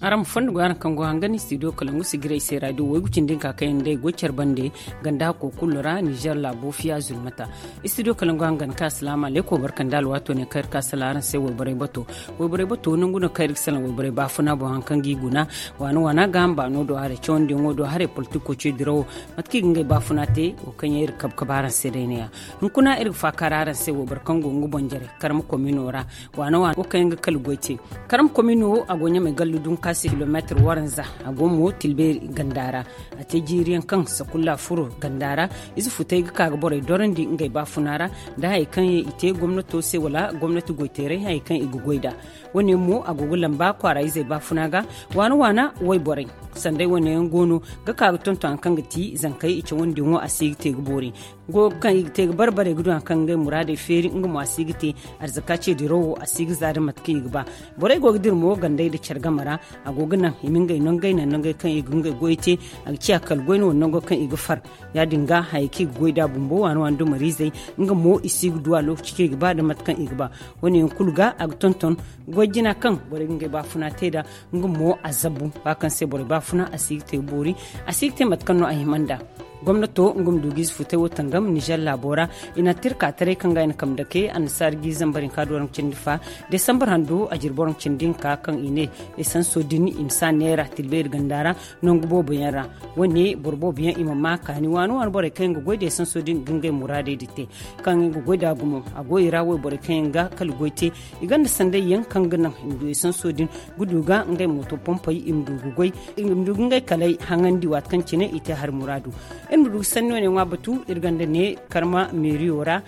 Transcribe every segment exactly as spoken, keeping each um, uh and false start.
Araŋ ma fondo go araŋ kaŋ go hangan studio kalangu sigiray se radio waygu cindi nka kaŋ yaŋ day goy care bande ganda hakko kulu ra niger laabo fiya zulmata. Studio kalangu hangan ka asalaamu alaykum barkanda alwaato ne kaŋ iri ka salaŋ araŋ se wayborey bato. Wayborey bato nangu no kaŋ iri ga salaŋ wayborey baafuna boŋ haŋ kaŋ ga i guna waana waana ga hamba no do haray cawandiyaŋo do haray politiko ce dirawo mate kaŋ i ga ngey baafuna te wo kaŋ yaŋ iri kabe kabe araŋ se day ne-ya. Hunkuna iri ga faakaara araŋ se wayboro kaŋ go nga boŋ jare karma komino ra waana waana wo kaŋ yaŋ ga kala goy te. Karam komino a go ɲamay gallu dunkaasi kilomeetir waranza. A go mo tilbeeri ganda ra. A te jiiri yaŋ kaŋ sakulla furo ganda ra. Ize futay ga ka ga borey dorandi ngey baafuna ra nda hayey kaŋ i te gomnato se wala gomnati goyteeray hayey kaŋ i ga goy nd'a. Wo- ne mo a go ga lamba kwaara izey baafuna ga waana waana wayborey. Sanday wane yaŋ go no ga ka ga tonton hari kaŋ ga ti zankey i cawandiyaŋo a si ga te ga boori. Go kaŋ i ga te ga bare bare ga du hari kaŋ ngey muraadey feeri nga mo a si ga te. Arzaka ce dirawo a si ga za da mate kaŋ i ga ba. Borey go ga dira mo gandey nda care game ra. A go ga naŋ i ma ngey nangey naŋ nangey kaŋ i ga ngey goy te. A ga ciya kala goy no wala nango kaŋ i ga far. Ya- din ga hayey kaŋ i ga goy nd'a bumbo waana waana dumariizey nga mo i si ga du a lookaci kaŋ i ga ba nda mate kaŋ i ga ba. Wo- ne yaŋ kulu ga a ga tonton goy jina kaŋ borey ga ngey baafuna te nd'a. Nga mo a zabu ba kaŋ se borey baafuna a si ga te ga boori. A si ga te mate kaŋ no a hima nd'a. Gomnato nga ma du ga ize futay wo tangam nizer laabo ra. I na tirka taray kaŋ ga i na kambe dake annasaara ga i zambar hinka do ra nga cindi fa. Desambar hando a jirbi ra nga cindi hinka kaŋ i ne esanso din i ma si a neera tilbeeri ganda ra. Nangu boobo yaŋ ra wo- ne boro boobo yaŋ i ma ma kaani waani waani borey kaŋ yaŋ ga goy da esanso din ga ngey muraadey din te. Kaŋ yaŋ ga goy nd'a gumo a go i ra wayborey kaŋ yaŋ ga kala goy te. I gonda sanday yaŋ kaŋ ga naŋ i ma du esanso din ga du ga ngey mooto pompey i ma du ga goy i ma du ga ngey kaley haŋandi waati kaŋ cine i te hari muraadu. Iri ma du ga sanni wane ŋwa batu iri gonda ne karma meeriyo ra.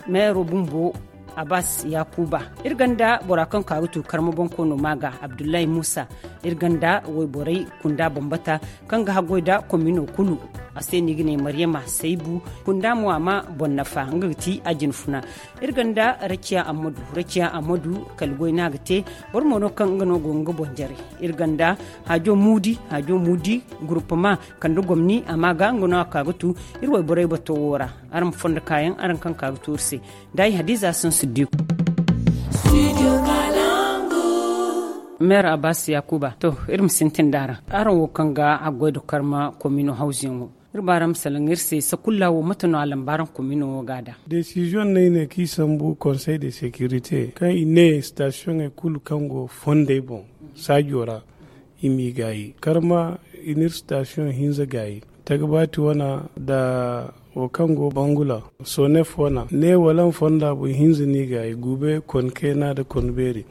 Meero bumbo abbas yakuba. Iri gonda bora kaŋ ka ga tu karma bonkoono ma ga abdullahi muusa. Iri gonda wayborey kunda bambata kaŋ ga haggoy nda komino kulu. A se no i ga ne maryama saybu kunda mo a ma boŋ nafa nga ga ti a jinfuna. Iri gonda raciya ammadu raciya ammadu kala goy no a ga te. Boro mo no kaŋ nga no go nga boŋ jare. Iri gonda haajo muudi haajo muudi guruppama kala nda gomni a ma ga nga no a ka ga tu. Iri wayborey bato wo ra. Araŋ ma fondo kaayaŋ araŋ kaŋ ka ga tu iri se. Nda ay hadiza sansu diku. Meer abbas yakuba to iri ma sintin nd'a ra. Araŋ wo kaŋ ga a goy nda karma komino hawzuyaŋo. Iri ba ra ma salaŋ iri se sakulla wo mate no a lamba araŋ komino wo ga a da. Desiziyoŋ no ay ne kaŋ i sambu konsey de sekirite kaŋ i ne sitasiyoŋey kulu kaŋ go fondey boŋ saajo ra. I m'i gaayi karma i n'iri sitasiyoŋ hinza gaayi. Tagbaati wana nda wo kaŋ go bangula sonef wana ne wala nfonda boŋ hinza n'i gaayi gube konkeena nda konbeeri.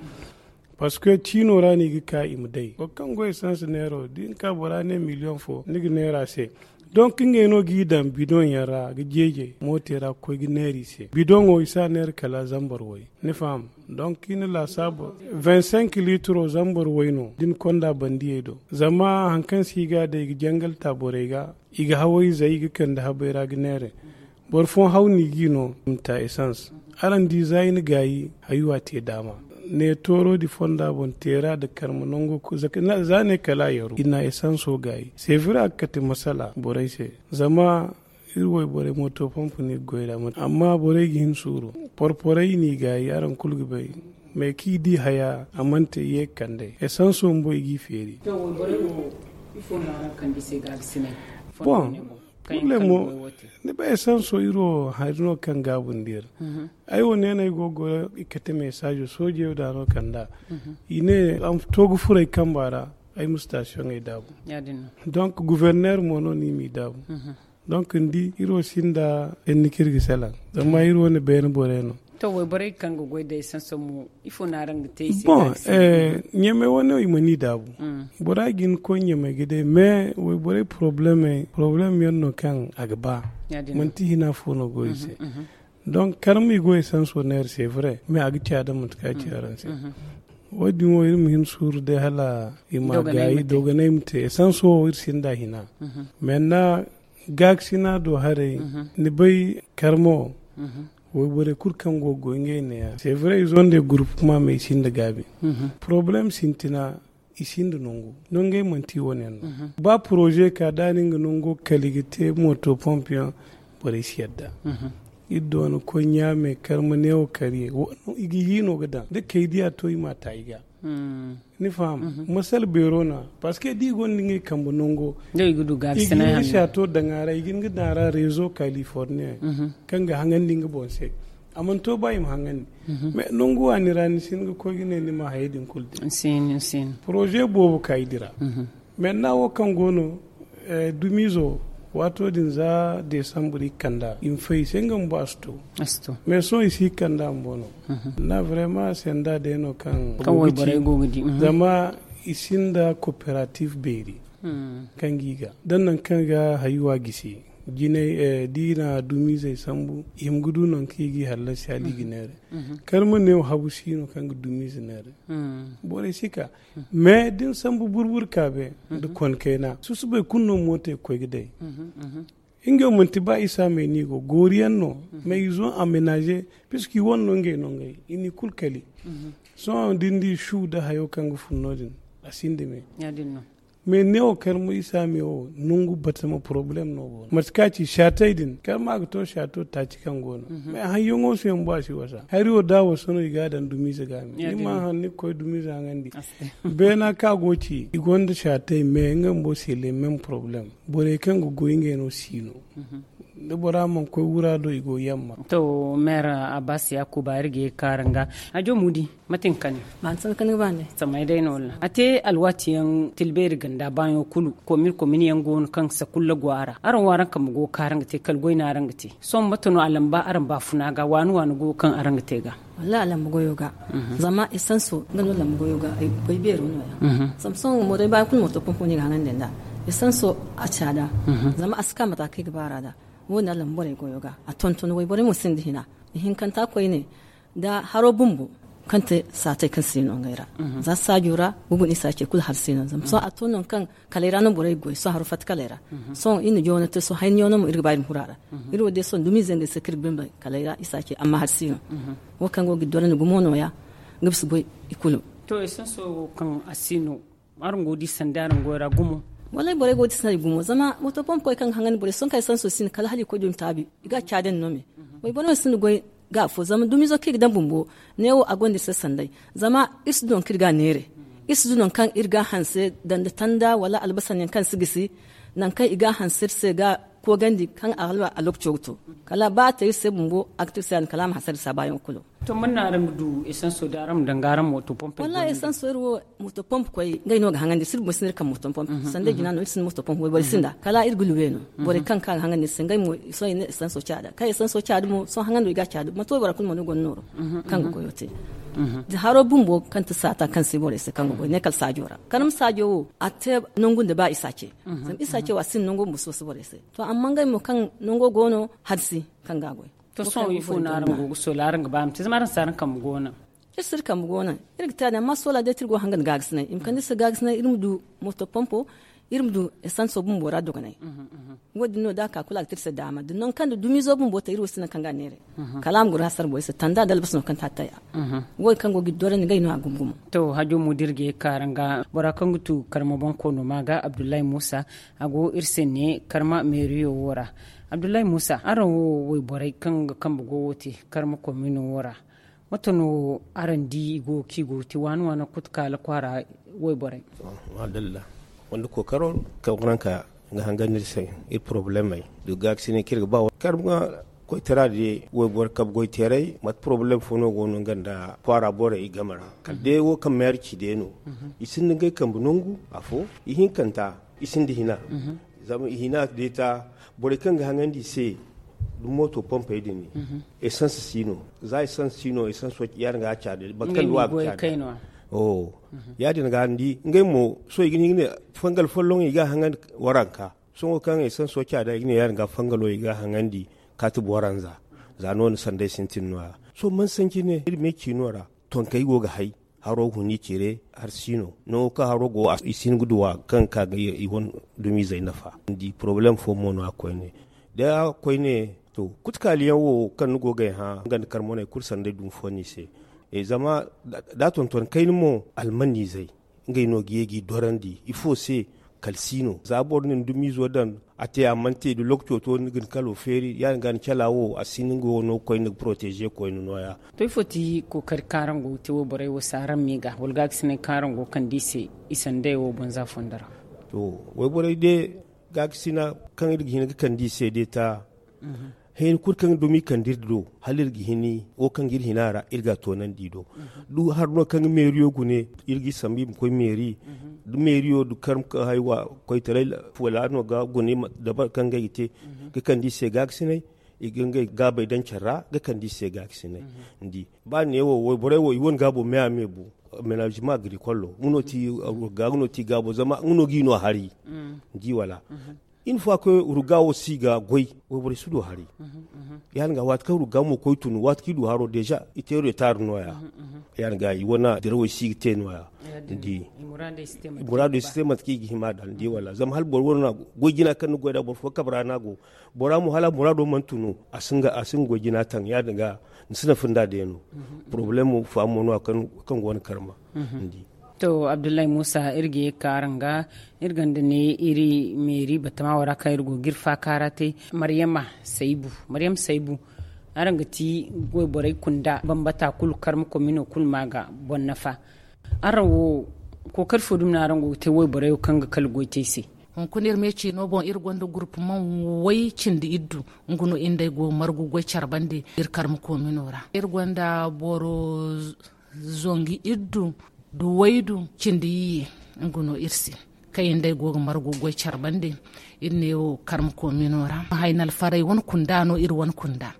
Parce que ciino ra no i ga ka i ma day boro kaŋ go essence neero da i na ka bora ne million fo ni ga neera se. Donc ngey no g'i daŋ bidon yaŋ ra ga jeejay moote ra ga koy ga neera i se bidon wo i si a neera kala zambar way. Ni faham? Donc i na laasaabu vingt-cinq litro zambar way no da ni konda bandiyey do zama hari kaŋ se i ga a day i ga jangal ta borey ga. I ga hawayzey i ga kande habey ra ga neera. Boro fooyaŋ haw no i g'i no i ma ta essence. Araŋ di za i na gaayi hayuwa te daama. Ne tooro di fonda boŋ teera nda karma nango za ne kala a yaru i na essenso gaayi sevira a ga kate masala borey se. Zama iri wayborey mooto pompe no i ga goy nd'a amma borey ga hin suuru. Porporey no i gaayi araŋ kulu ga bay. Mais kaŋ i di haya a mana te ye ga kand'ey essenso bumbo i g'i feeri. Bon. Purle mo ni bay essenso iri wo hari no kaŋ gaabu nda iri. Ay wo neene ay go ga goyo i kate mesajo soojey wo da no kand'a. I ne a ma to ga furo ay kamba ra. Ay ma sitasiyoŋey daabu. Donc guverner mo no ni m'i daabu. Donc ni di iri wo sinda hinne kaŋ iri ga salaŋ. Zama iri wane beene borey no. To wayborey kaŋ ga goy day sanso mo ifo no araŋ ga te i se? Bon, ɲamey wane i mana i daabu. Bora ga hin ga koy ɲamey ga day mais wayborey porobleme porobleme yaŋ no kaŋ a ga ba. Manti hina fo no go i se. Donc karma i go esanso neera se vrai mais a ga ciya da mate kaŋ a ci araŋ se. Wo- din wo iri ma hin suuru day hala i ma gaayi dogonay ma te esanso wo iri sinda hina. Mais na gaakasina do haray ni bay karma wo. Wayborey kulu kaŋ go ga goy ngey neeya se vrai izo nda groupe kuma mais i sinda gaabi. Problème sintina i sinda nangu nangey manti wo- ne yaŋ no. Ba projet ka da ni nga nango kala i ga te moto pompe yaŋ. Borey si yadda. Iri doona koy ɲaame karma neewo karye i ga hiino ga daŋ da kay diya to i ma ta i ga. Ni faham? Masal beero no a, parce que da i gonda ngey kambe nango, i ga hin ga saato daŋ a ra, i ga hin ga daŋ a ra rezo californien, kaŋ ga haŋandi nga boŋ se. A mana to ba i ma haŋandi. Mais nangu waani ra ni si hin ga koy ga ne ni ma hayey din kulu te. Projet boobo ka i dira. Maintenant wo kaŋ go no, dumiizo, waato din za desambre i ga kand'a i ma fay i se nga bumbo a si to. Mais sohõ i si ga kand'a bumbo no. Na vraiment senda day no kaŋ wayborey go ga di. Zama i sinda coopérative beeri kaŋ ga i ga da nangu kaŋ ga hayuwa gisi jinay, da i na dumiizey sambu i hima ga du nangu kaŋ i ga i hallasi hala i ga neera. Kala ma ne wo habu si no kaŋ ga dumiize neera. Borey si ka. Mais da ni sambu burbur kaabe nda konkayna susubay kulu no mootey ga koy ga day. Ngey wo manti ba isa me no i go goori yaŋ no. Mais i zo aménagé puisque i wane no ngey no ngey i n'i kulu kali. Sohõ da ni di shu nda hayo kaŋ ga fun no- din, a sinda me. Mais ne wo kala mo isa me wo nangu batama problème no go no mate kaŋ a ci saatey din kala ma a ga to saato taaci kaŋ go no. Mais hayyaŋo se yaŋ bo a si wasa hari wo da wasa no i ga a daŋ dumiize ga me ni ma haŋ ni ga koy dumiize haŋandi. Beena kaŋ a go ci i gonda saatey mais nga bumbo se le même problème. Borey kaŋ ga goy ngey no si no. Da bora mana koy wura do i go yamma. To, maire abbas yakuba iri ga ye ga kaara nga. Hajo mudi, mate ni kani? Samay day no walla a te alwaati yaŋ tilbeeri ganda baayaŋo kulu komin komin yaŋ go no kaŋ sakulla go a ra araŋ wo araŋ kambe go ga kaara nga te kala goy no araŋ ga te. Sohõ mate no a lamba araŋ baafuna ga waani waani go kaŋ araŋ ga te ga? Wallahi a lamba goyo ga. Zama esanso nga no lamba goyo ga ay goy beero no- ya. Zama sohõ mo day baayaŋ kulu moto pompo no i ga haŋandi nd'a. Esanso a caada. Zama a si ka mate kaŋ i ga baara nd'a. Wo- din a lamba borey goyo ga a tonton wayborey mo sinda hina. Ihinkanta koyne da haro bumbo kaŋ te saatey kaŋ si no ngey ra. Za saajo ra gugu no isa ce kulu har si no zama sohõ a to nangu kaŋ kalay ra no borey ga goy sohõ haro fatta kalay ra. Sohõ iri na joono te sohõ hayni yaŋo no mo iri ga ba iri ma huru a ra. Iri wo day sohõ dumiize ngey se kaŋ iri ga bambay kalay ra isa ce amma har si no. Wo kaŋ go ga iri dorandi gumo no- ya. Nga bisa goy i kulu. To esanso wo kaŋ a si no araŋ go ga di sanda araŋ goy ra gumo? Wallaahi borey go ga di sanda i gumo zama moto pompo koy kaŋ ga haŋandi borey sohõ kaŋ esanso si no kala hala i koy du i ma taabi. I ga a caadandi no me. Wayborey no sinda goy ga afo zama dumiizo kaŋ i ga daŋ bumbo. Neewo a gonda iri se sanday. Zama iri si du nangu kaŋ iri ga a neere. Iri si du nangu kaŋ iri ga a hanse daŋ nda tanda wala albasan yaŋ kaŋ si gisi. Nangu kaŋ i ga a hanse iri se ga koogandi kaŋ a lokaco ga to. Kala ba a te iri se bumbo a ga te iri se ya- din kala a ma hasara iri se a baayaŋo kulu. To man no araŋ ga du esanso da araŋ ma daŋ ga araŋ moto pompe? Wallahi esanso iri wo moto pompe koy ngey no ga haŋandi iri si iri bumbo si no iri kaŋ moto pompe sanda jina no iri si no moto pompe wayboro sinda kala iri ga luwe no. Borey kaŋ ka ga haŋandi iri se ngey mo sohõ i ne esanso caada kaŋ esanso caada mo sohõ haŋando i ga a caada manti waybora kulu mo no gonda nooro kaŋ ga goyo te. Da haro bumbo kaŋ ti saata kaŋ si borey se kaŋ ga goy ne kala saajo ra kala ma saajo wo a te nangu nda ba isa ce. Zama isa ce wo a sinda nango bumbo si wasa borey se. To amma ngey mo kaŋ nango go no hari si kaŋ ga a goy. To sohõ ifo no araŋ go ga soola araŋ ga ba ma te zama araŋ si araŋ kambe go naŋ? Iri si iri kambe go naŋ. Iri ga te a din amma soola day te iri go ga hanga nda gaagasinay i ma kande iri se gaagasinay iri ma du moto pompo iri ma du esanso bumbo ra dogonay. Wo- din no da a ka kulu a ga te iri se daama da nangu kaŋ da dumiizo bumbo te iri wo si naŋ kaŋ ga a neeray. Kala a ma goro hasara borey se tanda da albasa no kaŋ te a taya. Wo- din kaŋ go ga iri dorandi ngey no a gumo gumo. To hajo mo da iri ga ye ga ka araŋ ga bora kaŋ ga tu karma boŋ koono ma ga abdullahi muusa. A go iri se ne karma meeriyo wo ra. Abdullahi muusa araŋ wo wayborey kaŋ ga kambe go wo te karma komino wo ra. Mate no araŋ di i go ga ci go ga te waani waani kutu kaala kwaara wayborey? Madalla. Wanda kookaro kaŋ waranka nga hangan no iri se iri poroblemey da gaakasinay kaŋ iri ga ba wala karma koytara day wayboro kabe goyteeray mate poroblem fo no go no nga nda kwaara borey i game ra kala day wo kaŋ meeri ci day no. I sinda ngey kambe nangu afo ihinkanta i sinda hina. Zama i hina day ta borey kaŋ ga haŋandi i se da mooto pompey din esans si no. Za esans si no esans ya- din ga a caada boro kaŋ ga caada. Ya- din ga ni di ngey mo sohõ i ga ne fangal folloŋ i ga a haŋandi waranka. Sohõ kaŋ esanso caada i ga ne ya- din ga fangalo i ga a haŋandi kaati boranza. Za no- din sanday sintin no- ya. Sohõ man sanji ne iri me ciino ra tonkey go ga hay haro huni cire har si no nango kaŋ haro go i si hin ga duwa kaŋ ga ka ga i wane dumiizey nafa. Ni di poroblem fo mo no- ya koyne. Da koyne to kutukaaliyaŋ wo kaŋ ni go ga ay hã nga nda karmoney kulu sanday dumi fo no i se. Zama da a tonton kayna mo almanizey ngey no ga ye g'i dorandi ifo se? Kala si no za boro na ni dumiizo daŋ A te a mana te da lokaco to ni ga ni kalo feeri ya- din ga ni cala wo a si ni ga wo no ga koy ni ga poroteeze koyne nooya. To ifo ti kookari kaŋ araŋ go ga te wayborey wo se araŋ me ga wala gaakasinay kaŋ araŋ go ga kande i se i sanday wo banza fondo ra? To, wayborey day gaakasina kaŋ iri ga hin ga kande i se day ta. Hayni kulu kaŋ dumi kande iri do hala iri ga hini wo kaŋ ga iri hina ra iri ga a toonandi i do. Da hari no kaŋ ga meeriyo gune iri ga i sambu i ma koy meeri da meeriyo da karma kaŋ haywa koytaray wala no ga gune dabari kaŋ ga i ga te ga kande i se gaakasinay. I ga ngey gaabey daŋ care ra ga kande i se gaakasinay. Ni di ba ne wo wayborey wo i wane gaabo me a me bu. Menazima agrikolo nga no ti gaabo zama nga no ga i no hari. Ni di wala? Iri fo a koy ruga wo si ga goy wayborey si du hari. Ya- din ga waati kaŋ ruga mo koy tun waati kaŋ i du haro deeza i te retar nooya. Ya- din ga i wane dirawey si ga te nooya. Ni di muraadey si te mate kaŋ i ga hima da ni di wala zama hala boro wane goy jina kaŋ ni goy da boro fo kabe ra no a go. Bora mo hala muraado mana tunu a si nga goy jina taŋ ya- din ga ni si nafa nda day no. Porobalemo faamo no a kaŋ go ni karma. Ni di. To abdullahi muusa iri ga ye ga ka araŋ ga iri gonda ne iri meeri batama wo ra kaŋ iri go ga iri faaka ra te. Maryama saybu maryama saybu araŋ ga ti wayborey kunda bambata kulu karma komino kulu ma ga boŋ nafa. Araŋ wo kookari fo dumi no araŋ go ga te wayborey wo kaŋ ga kala goy te ay se? Hunkuna iri me ciino boŋ iri gonda gurpu man way cindi iddu. Nga no iri nd'ey go margu goy care bande iri karma komino ra iri gonda boro zongu iddu da waydu cindi iyye. Nga no iri se kaŋ iri nd'ey go ga margu goy care bande iri ne wo karma komino ra haynal faray wane kunda no iri wane kunda.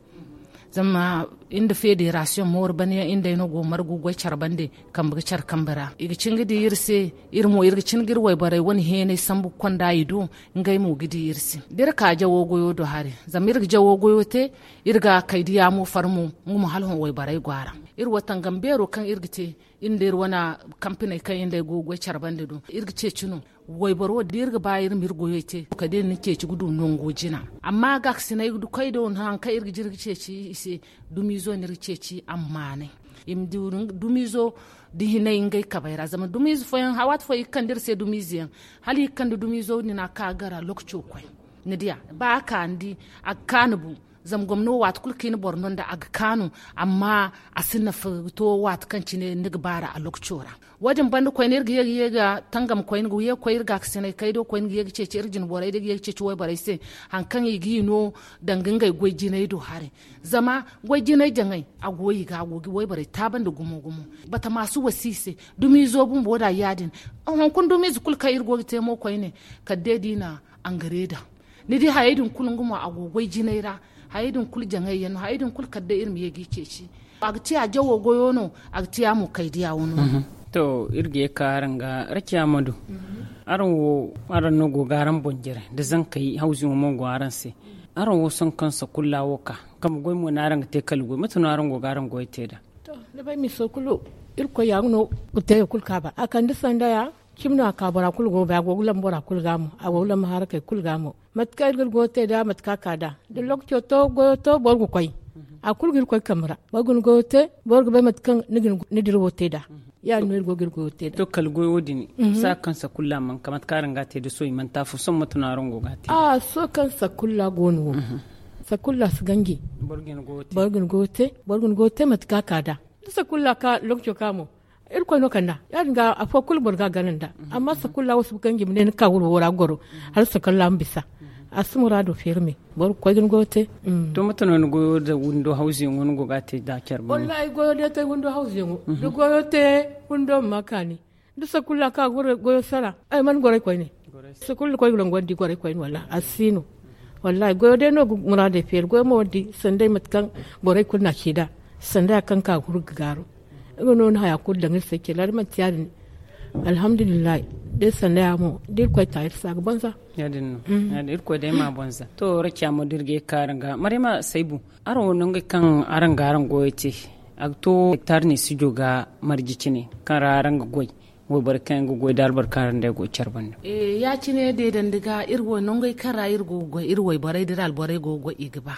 Zama iri nda federasiyoŋ mooru bane yaŋ iri nd'ey no go margu goy care bande kambe ga care kambe ra i ga cin ga di iri se. Iri mo iri ga cin ga iri wayborey wane heenay sambu ga konda i do. Ngey mo ga di iri se da iri ka jawo goyo do hari zama iri ga jawo goyo te. Iri ga kay diya mo far mo nga mo hala hõ wayborey go a ra. Iri wo tangam beero kaŋ iri ga te iri nda iri wane kampiney kaŋ iri nd'ey go ga goy care bande do iri ga ceeci no. Wayboro wo da iri ga ba iri ma iri goyey te kala day ni ceeci ga du nango jina. Amma gaakasinay da koy do nangu kaŋ iri ga jina ga ceeci i se dumiizo no iri ga ceeci ammaanay. I ma du dumiizo da hinay ngey kabey ra zama dumiize fooyaŋ waati fooyaŋ i ga kande iri se dumiize yaŋ hala i ga kande dumiizo din a ka gara lookaco koy. Ni diya ba a ka ni di a ga kaanu bu. Zama gomno waati kulu kaŋ i na boro no nda a ga kaanu. Amma a si nafa to waati kaŋ cine ni ga baara a lookaco ra. Wo- din banda koyne iri ga ye ga ye ga tangam koyne ga ye ga koy iri gaakasinay kaydo koyne ga ye ga ceeci iri jinborey da ga ye ga ceeci wayborey se. Hari kaŋ i ga i no danga ngey goy jinay do haray. Zama goy jinay jaŋay a go i ga a go ga wayborey taaba nda gumo gumo. Batama si wasi i se. Dumiizo bumbo da ya- din. Hunkuna dumiize kulu kaŋ iri go ga te mo koyne kala day da i na angare daŋ. Ni di hayey din kulu nga mo a go goy jinay ra. Hayey din kulu jaŋay yaŋ no hayey din kulu kala day iri ma ye ga i ceeci. A ga te a jawo goyo no. A ga te a mo kay diya wano. To iri ga ye ga ka araŋ ga rakiya ma du. Araŋ wo araŋ no go ga araŋ boŋ jare da zankey hawziŋo mo go araŋ se. Araŋ wo sohõ kaŋ sakulla wo ka kambe goy mo no araŋ ga te kala goy mate no araŋ go ga araŋ goy te nd'a? To ni bay miso kulu irkoy ya nga no ga te ya kulu kaaba a kande sanda ya. Cimi no a ka bora kulu go ga bay a go ga lamba bora kulu ga mo a go ga lamba harakey kulu ga mo. Mate kaŋ iri ga iri goyo te nd'a mate kaŋ a ka nd'a da lookaco to goyo to boro ga koy. A kulu ga iri koy kambe ra boro ga ni goyo te. Boro ga bay mate kaŋ ni dirawo te nd'a. Ya- din no iri go ga iri goyo te nd'a to kala goyo din. Saakaŋ sakulla mana ka mate kaŋ araŋ ga a te da sohõ i mana te afo sohõ mate no araŋ go ga a te nd'a? Sohõ kaŋ sakulla go no wo. Sakulla si ganji. Boro ga ni goyo te boro ga ni goyo te mate kaŋ a ka nd'a. Da sakulla ka lookaco ka mo irkoy no kand'a. Ya- din ga afo kulu boro ga a gana nd'a. Amma sakulla wo si ga ganji ma ne ni ka wuro wo ra ga goro hala sakulla ma bisa. A si muraado feeri me boro ga koy ga ni goyo te. To mate no ni goyo da windo hawzuyaŋo ni go ga a te da care bumbo? Wallahi goyo day te windo hawzuyaŋo da goyo te windo ma ma kaani. Da sakulla ka goyo sara ay mana goray koyne. Sakulla koy ga nangu wandi goray koyne wallahi a si no. Wallahi goyo day no ga muraadey feeri goyo mo wandi sanday mate kaŋ borey kulu na ci nd'a. Sanday a kaŋ ka ga huru ga gaaru. Nga no ni haya kulu daŋ iri se cila da manti ya- din. Alhamdulillahi. Da iri sanda ya mo da irkoy ta iri se a ga banza. Ya- din no. Irkoy day ma banza to rakiya mo da iri ga ye ga ka araŋ ga maryama saybu. Araŋ wo nangey kaŋ araŋ ga araŋ goyey te a ga to hektar ne sijo ga marje cine kaŋ ra araŋ ga goy. Wayborey kaŋ yaŋ ga goy da albarka ra nd'ey go care banda. Ya- cine deedandi ga iri wo nangey kaŋ ra iri go ga goy iri wayborey da iri alborey go ga goy i ga ba.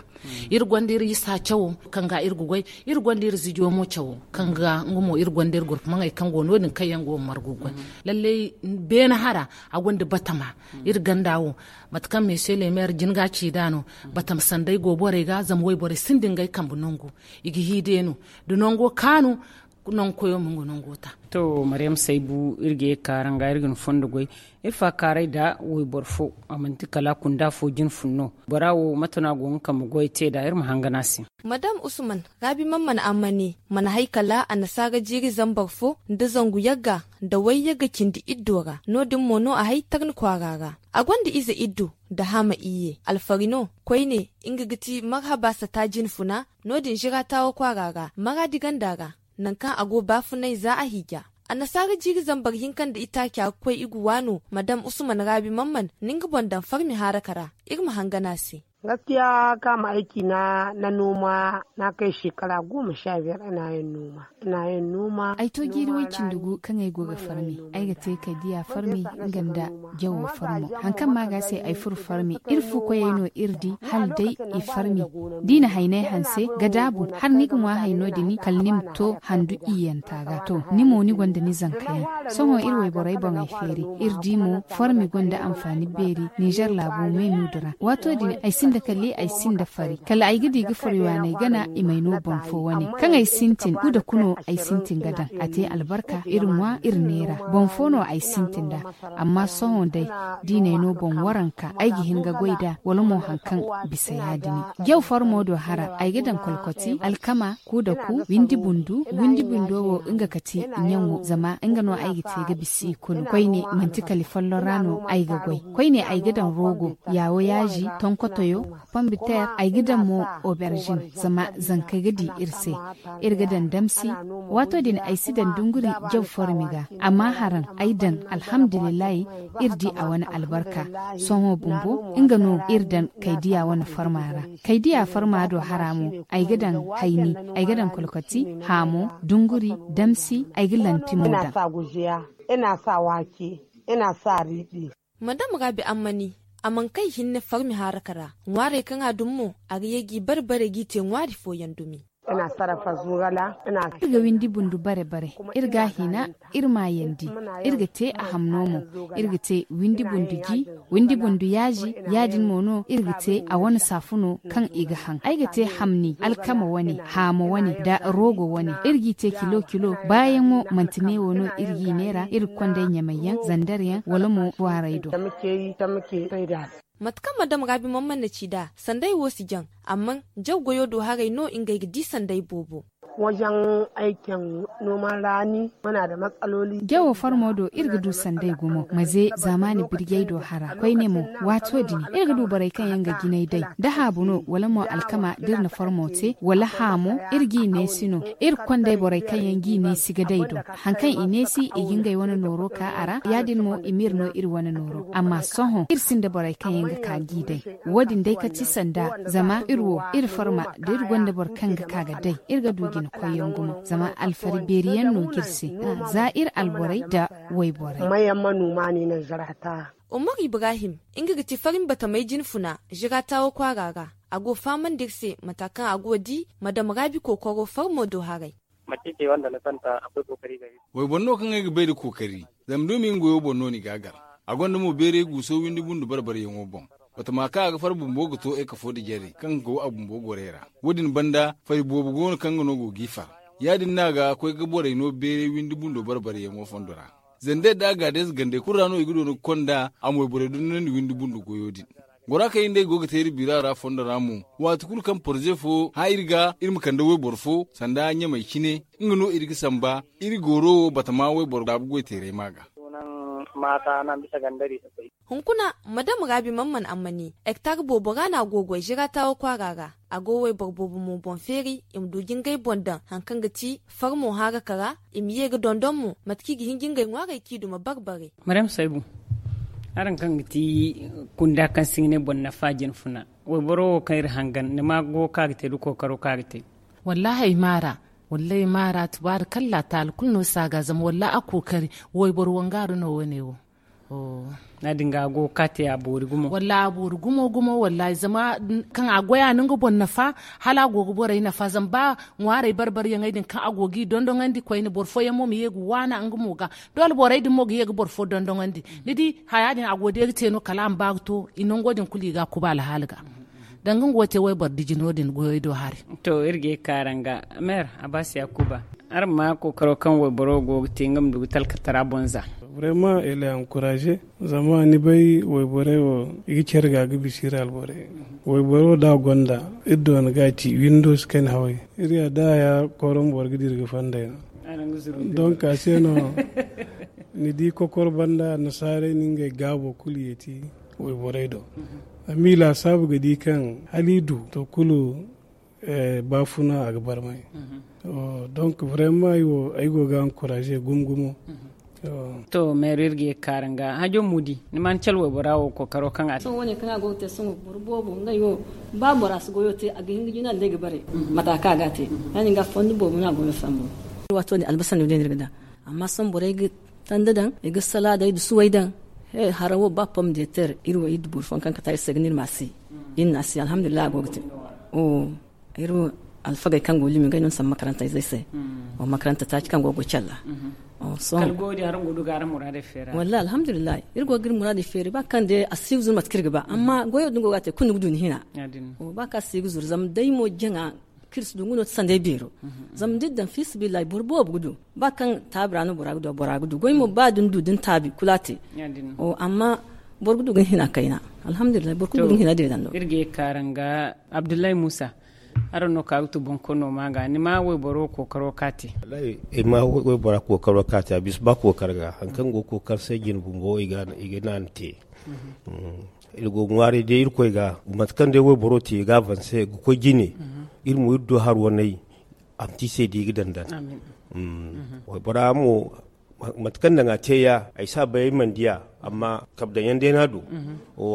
Iri gonda iri isa cawo kaŋ ga iri ga goy. Iri gonda iri zijo mo cawo kaŋ ga nga mo iri gonda iri gurfumaŋey kaŋ go no- din kaŋ yaŋ go ga margu ga goy. Lallay, beene hara a gonda batama. Iri ganda wo, mate kaŋ meese leemeer jin ga ci nd'a no. Batama sanday go borey ga zama wayborey sinda ngey kambe nangu. I ga hiideenu da nango kaanu. Nangu koyo ma nga nango ta. To, maryam saybu iri ga ye kaara nga iri ga ni fondo goy. Iri faakaaray da wayboro fo, a manti kala kunda fo jine fun no. Bora wo mate no a go nga kambe goy te nd'a iri ma hangan a se. Madam usman, raabi man mana amma ne mana hay kala annasaara jiiri zambar fo nda zangu yagga nda way yagga cindi iddo ra. No- din mo no a hay tarni kwaara ra. A gonda ize iddo nda hama iyye alfari no. Koyne nga ga ti marhaba sata jine funa. No- din zira taawo kwaara ra maraadi ganda ra. Nangu kaŋ a go baafunay za a hiija. Annasaara jiiri zambar hinka nda itaaca ga koy i ga waano madam usman raabi man mana ni nga boŋ daŋ farmi haaraka ra. Iri ma hangan a se. Gaskiya kaama ay ciina na nooma na kay shekara goma sha biyar ina yin nooma. Ina yin nooma. Ay to jiiri way cindi gu kaŋ ay go ga farmi. Ay ga te kay diya farmi nga nda jawo farmo. Haŋ kaŋ ma ga se ay furo farmi iri fu koyey no iri di hala day i farmi. Da i na haynay hanse ga daabu hala ni ga ŋwa hayno din kala ni ma to handu iyanta ga to ni mo ni gonda ni zankayaŋ. Sohõ iri wayborey boŋey feeri iri di mo farmi gonda anfaani beeri. Ninzeer laabo me muudu ra waato din ay sinda kali ay sinda fari kala ay ga di ga fari waaney gana i may no boŋ fo wane kaŋ ay sintin kuda kuno ay sintin ga daŋ a te albarka iri ŋwa iri neera boŋ fo no ay sintin nd'a. Amma sohõ day diinay no boŋ waranka ay ga hin ga goy nd'a wala mo haŋ kaŋ bisa ya- din. Jaw farmo do hara ay ga daŋ kolkoti alkama ku da ku windi bundu windi bundo wo nga kati ɲaŋo zama nga no ay ga te ga bisa i kulu koyne manti kali folloŋ ra no ay ga goy. Koyne ay ga daŋ rogo yaawo yaazi tonkotoyo pombiteer ay ga daŋ mo oberzin zama zankey ga di iri se. Iri ga daŋ damsi waato din ay si daŋ dunguri jaw formi ga. Amma haraŋ ay daŋ alhamdulillahi. Iri di a wane albarka. Sohõ bumbo nga no iri daŋ kaydiya wane farma ra. Kaydiya farma do hara mo ay ga daŋ hayni ay ga daŋ kolkoti haamo dunguri damsi ay ga lanti mo daŋ. Ina sa waake ina sa riiɗi. Madam raabi ammani a mana kay hinne farmi haaraka ra. Ŋwaarey kaŋ a dumi mo a ga ye g'i bare bare g'i te ŋwaari fooyaŋ dumi. Iri ga windi bundu bare bare iri ga a hina iri maayandi. Iri ga te a hamno mo. Iri ga te windi bundu ji windi bundu yaazi. Ya- din mo no iri ga te a wane saafuno kaŋ i ga haŋ ay ga te hamni alkama wane haamo wane nda roogo wane iri g'i te kilo kilo baayaŋo manti neewo no iri g'i neera iri ga konda ay ɲamayyaŋ zandaryaŋ wala mo kwaaray do. Mate kaŋ madam raabi man mana ci nd'a sanday wo si jaŋ. Amma jaw goyo do haray no ngey ga di sanday boobo. Jawo farmo do iri ga du sanday gumo maze zaamaani birjey do hara koyne mo. Waato din iri ga du borey kaŋ yaŋ ga jinay day da haabu no wala mo alkama da iri na farmo te wala haamo iri g'i neesi no. Iri ga konday borey kaŋ yaŋ g'i neesi ga day do haŋ kaŋ i neesi i ga ngey wane nooro ka a ra ya- din mo i m'iri no iri wane nooro amma sohõ iri sinda borey kaŋ yaŋ ga ka g'i day. Wo- din day kati sanda zama iri wo iri farma da iri gonda boro kaŋ ga ka ga day iri ga du jina koyyaŋ gumo zama alfari beeri yaŋ no ga iri se. Za iri alborey nda wayborey. Mayaŋ ma nuuma ni naŋ zara ta. Umar ibrahim nga ga ti farin batamay jinfuna zira taawo kwaara ra. A go fahamandi iri se mata kaŋ a go ga di madam raabi kookaro farmo do haray. Wayboro no kaŋ ay ga bay nda kookari. Zama da ma i nga goyo boŋ no no i ga a gar. A gonda mo beeray guuso windi bundu bare bare yaŋo boŋ. Batama kaŋ a ga far bumbo ga to ekafo nda jare kaŋ ga go a bumbo gorey ra. Wo- din banda fari boobo go no kaŋ nga no go g'i far. Ya- din no a ga koy ga borey no beeray windi bundo bare bare yaŋo fondo ra. Zandey nda agaadez gandey kulu ra no i ga doona ga konda a mo wayborey dondonandi windi bundu goyo din. Gora kaŋ iri nd'ey go ga te iri bira ra fondo ra mo, waati kulu kaŋ poroze fo hã iri ga iri ma kande wayboro fo sanda ɲamey cine. Nga no iri ga samba iri gooro wo batama wayboro daabu goyteeray ma ga. Hunkuna madam raabi man mana amma ne hektar boobo ra no a go ga goy zira taawo kwaara ra. A go wayboro boobo mo boŋ feeri i ma du ga ngey boŋ daŋ hari kaŋ ga ti farmo haaraka ra. I ma ye ga dondon mo mate kaŋ i ga hin ga ngey ŋwaarey kaŋ i duma bare bare. Maryam saybu, araŋ kaŋ ga ti kunda kaŋ se ga ne boro nafa jina funa, wayboro wo kaŋ iri hangan ni ma go kaŋ a ga te nda kookaro kaŋ a ga te? Wallaahi ay maara. Wallaahi maara tubaari kalla taali kulu no si a ga zama wallaahi a kookari. Wayboro wangaaru no wane wo. Ya- din ga a go ga kaate a boori gumo. Wallaahi a boori gumo gumo wallaahi zama kaŋ a goy a na nga boŋ nafa, hala a go ga borey nafa zama ba ŋwaarey barbariyaŋey din kaŋ a go g'i dondonandi koyne boro fooyaŋ mo ma ye ga waana nga mo ga. Doole borey din mo ga ye ga boro fo dondonandi. Ni di haya din a go day ga te no kala a ma ba ga to i nango din kulu i ga a kuba alhaali ga. Danga nga wo te wayboro diji no- din goyey do hari. To iri ga ye ga kaara nga meer a ba si a kuba. Araŋ ma kookaro kaŋ wayboro go ga te nga ma du ga talkatara boŋ za. Vraiment elle est encouragée. Zama ni bay wayborey wo i ga care ga ga bisa iri alborey. Wayboro da a gonda iri doona ga a ci windows kaŋ haway. Iri ya da ya koron boro ga dira ga fandey no. Donc a se no ni di kokoro banda annasaarey na ngey gaabo kulu yeeti wayborey do. Amma i laasaabu ga di kaŋ hala i du to kulu baafuna a ga barmay. Donc vraiment ay go ga encourager gumo gumo. To meero iri ga ye ga kaara nga hajo mudi ni ma ni cala waybora wo kookaro kaŋ a te. Sohõ wane kaŋ a go ga te sohõ boro boobo ngey wo ba bora si goyo te a ga hin ga jina day ga bare. Mata kaŋ a ga a te ya- din ga fondo boobo no a go ga sambu. Waato din albasa no day no iri ga daŋ. Amma sohõ borey ga tanda daŋ i ga salaadey da suwey daŋ. Hara wo ba pom de ter iri wo iri da boro fooyaŋ kaŋ kata iri se ga no iri ma a si. Iri na a si alhamdulillahi a go ga te. Iri wo alfagey kaŋ go limi ngey no ni sambu makaranta izey se. Makaranta taaci kaŋ go ga goy calla. Kala goyo din araŋ go ga du ga araŋ muraadey feeri. Wallahi alhamdulillahi iri go ga iri muraadey feeri ba kaŋ day a si ga zuru mate kaŋ iri ga ba amma goyo din go ga a te kulu ni ga du ni hina. Ba kaŋ a si ga zuru zama day mo jaŋa kaŋ iri si du nga no ti sanday beero. Zama da iri daŋ fiisabilillahi boro boobo ga du ba kaŋ taabi ra no bora ga du bora ga du goy mo ba da ni du da ni taabi kulu a te. Amma boro ga du ga ni hina kayna. Alhamdulillahi boro kulu ga du ga ni hina deedando. Iri ga ye ga kaara nga abdullahi muusa. Araŋ no ka ga tu boŋ koy no ma ga ni ma wayboro kookaro ka te. Ay ma waybora kookaro ka te a bisa ba kookar ga hari kaŋ go ga kookar se jine bumbo i ga naanu te. Iri go ga ŋwaaray day irkoy ga mate kaŋ day wayboro te i ga avanse ga koy jine. Iri mo iri du hari waney a ma te i se da i ga daŋ daŋ. Waybora mo mate kaŋ daŋ a te ya ay si a bay ay mana diya. Amma kabe daŋ yaŋ day no a du.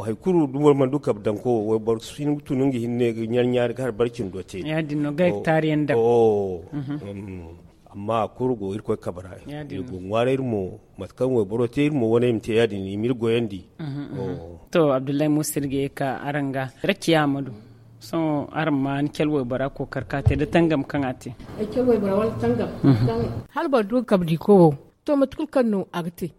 Hari kulu da boro mana du kabe daŋ ko wayboro si hin ga tun nga hinne ga ɲaari ɲaari ga hari barcindo te. Ya- din no ga ay ga taari yaŋ daŋ. Amma a kulu go irkoy kabe ra. Iri go ga ŋwaaray iri mo mate kaŋ wayboro te iri mo wane i ma te ya- din i ma iri goyandi. To abdullahi muusa iri ga ye ga ka araŋ ga rakiya ma du. Sohõ araŋ ma ni cala waybora kookar ka te da tangam kaŋ a te. Hala boro du ga kabe di ko wo to mate kulu kaŋ no a ga te.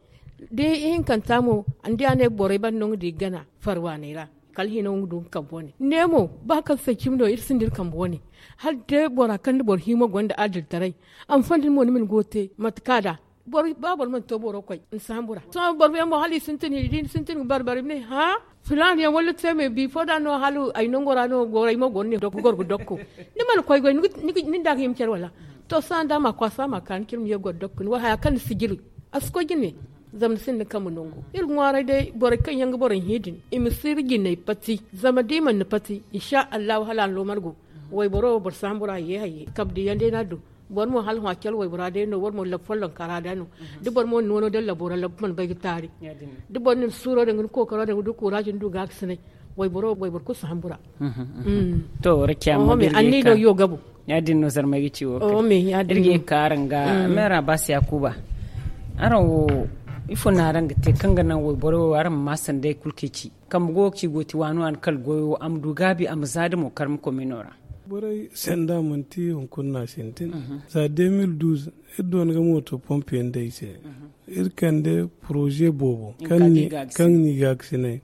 Da ihinkanta mo ni di a ne borey banda no nga di ga gana farwaaney ra. Kala hino nga du nga kambe wane ne mo ba kaŋ say cimi no iri sinda iri kambe wane. Hala day bora kaŋ da boro hima gonda adiltaray a ma fanda ni mo ni ma ni go te mate kaŋ a da. Ba boro mana to boro koy ni sambu ra sohõ boro yaŋ mo hala i sintin i di ni sintin ga barbari i ma ne hã filaana yaŋ wala te me bifo da no hala ay nango ra no goro ay mo goro ne goro ga dokko. Ni mana koy goy ni da ga hima care wala? To sohõ da ma kwaasa ma ka ni cire ma ye goro dokko ni wo haya kaŋ ni si jiri a si koy jine. Zama ni sinda ni kambe nangu iri ga ŋwaaray day borey kaŋ yaŋ ga borey hẽ din i ma si iri jinay pati zama da i mana ni pati insha allahu hala a na loomar go. Wayboro wo boro sambu ra hayye hayye kabe diyaŋ day no a du. Boro mo hala hõ a care waybora day no wala mo labu follonka ra da no. Da boro mo na noono daŋ labo ra labu mana bay ga taari. Da boro na ni suuro daŋ ga ni kookaro daŋ ga du kuuraaji ni du gaakasinay. Wayboro wayboro kulu si hambu ra. To wara ciyama me anni no yo gabu. Ya- din no zarmay ga ci wo kay. Iri ga ye ga ka araŋ ga meera baasi yaakuba. Araŋ wo ifo no araŋ ga te kaŋ ga naŋ wayboro wo araŋ ma maa sanday kulu kaŋ i ci kambe go ga ci go ti waani waani kala goyo a ma du gaabi a ma za da mo karma komino ra. Borey sanda manti hunkuna no a sintin. Za deux mille douze iri doona ga mooto pompe yaŋ day se. Iri kande poroze boobo kaŋ ni gaakasinay.